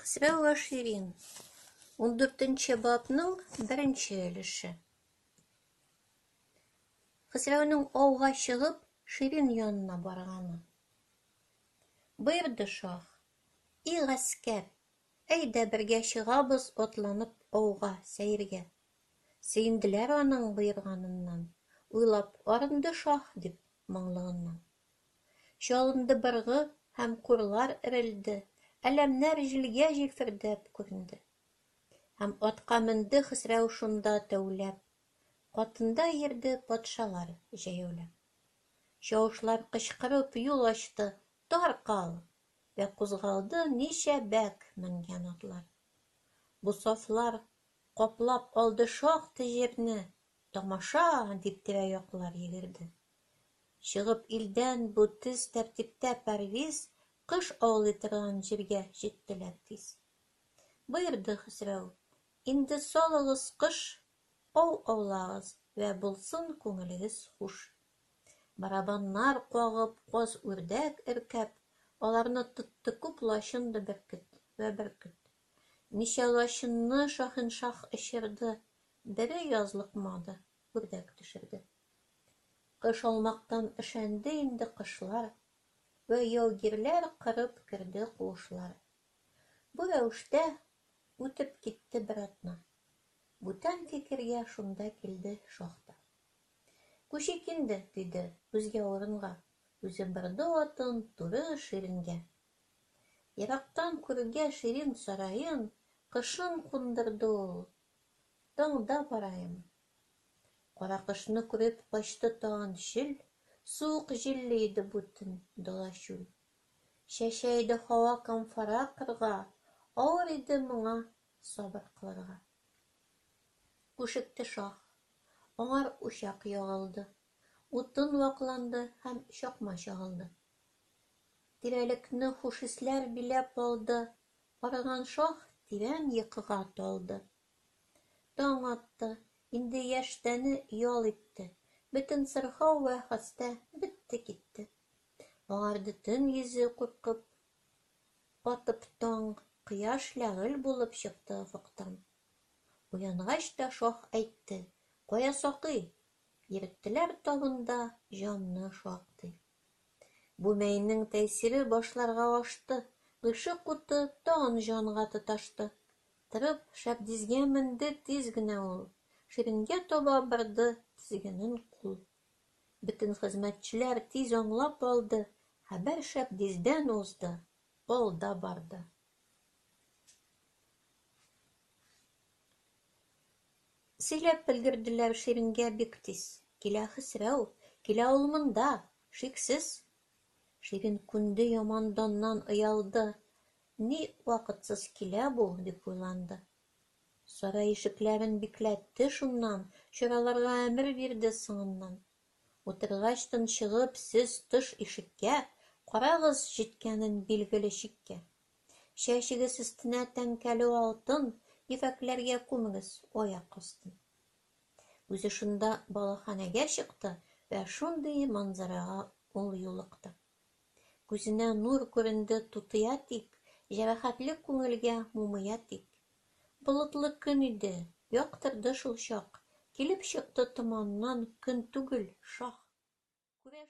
Хосрәү вә Ширин, 14 бабның беренче өлеше. Хосрәүнең ауга чыгып, Ширин янына барганы. Боерды шаһ: "И гаскәр, әйдә бергә чыгабыз атланып ауга, сәергә". Сөенделәр аның боерганыннан, уйлап арынды шаһ дип моңлыгыннан. Чалынды быргы һәм курлар өрелде, әләмнәр җилгә җилфердәп күренде. Һәм атка менде Хөсрәү шунда тәүләп, катында йөрде патшалар җәяүләп. Чавышлар кычкырып юл ачты: "Тар кал!" Вә кузгалды ничә бәк менгән атлар. Бу сафлар каплап алды шактый җирне, "Тамаша!" дип тирә-яклар йөгерде. Чыгып илдән бу төз тәртиптә пәрвиз кош аулый торган җиргә җиттеләр тиз. Боерды Хөсрәү: "Инде салыгыз кош, ау аулагыз вә булсын күңелегез хуш". Барабаннар кагып, каз-үрдәк өркеп, аларны тотты күп лачын да бөркет вә бөркет. Ничә лачынны шаһиншаһ очырды, бере язлыкмады, үрдәк төшерде. Кош алмактан өшәнде инде кошлар, вә яугирләр корып керде куышлар. Бу рәвештә үтеп китте бер атна. Бүтән фикергә шунда килде шаһ та. Күчик инде, диде, үзгә урынга, үзе борды атын туры Ширингә. Ерактан күрүгә Ширин сараен, кошын кундырды ул: "Таңда бараем". Каракошны күреп качты тагын чөл, суык җилле иде бу төн дала-чүл. Чәчә иде һава камфара кырга, авыр иде моңа сабыр кылырга. Күшекте шаһ, аңар учак ягылды, утын вакланды һәм чакма чагылды. Тирәлекне хуш исләр биләп алды, арыган шаһ тирән йокыга талды. Таң атты, инде яшь тәне ял итте, бөтен сырхау вә хәстә бетте-китте. Агарды төн йөзе куркып, атып таң, кояш ләгыль булып чыкты офыктан. Уянгач та шаһ әйтте: "Кая сакый?" Йөрттеләр табында җамны шактый. Бу мәйнең тәэсире башларга ашты, гыйшык уты тагын җанга тоташты. Торып, шәбдизгә менде тиз генә ул, Ширингә таба борды тезгенен кул. Бөтен хезмәтчеләр тиз аңлап алды: хәбәр шәбдиздән узды, алда барды. Сөйләп өлгерделәр Ширингә бик тиз: килә Хөсрәү, килә ул монда, шиксез. Ширин күнде яман даннан оялды: ни вакытсыз килә бу, дип уйланды. Сарай ишекләрен бикләтте шуннан, чараларга әмер бирде соңыннан. Утыргач тончыгып сез тыш ишеккә, карагыз җиткәнен билгеле чиккә. Чәчегез өстенә тәңкәле алтын, ефәкләргә күмегез аяк астын. Үзе шунда балаханәгә чыкты вә шундый манзарага ул юлыкты. Күзенә нур күренде тутыя тик, җәрәхәтле күңелгә мумыя тик. Болытлы көн иде, яктырды шул чак, килеп чыкты томаннан көн түгел, шаһ. Күрә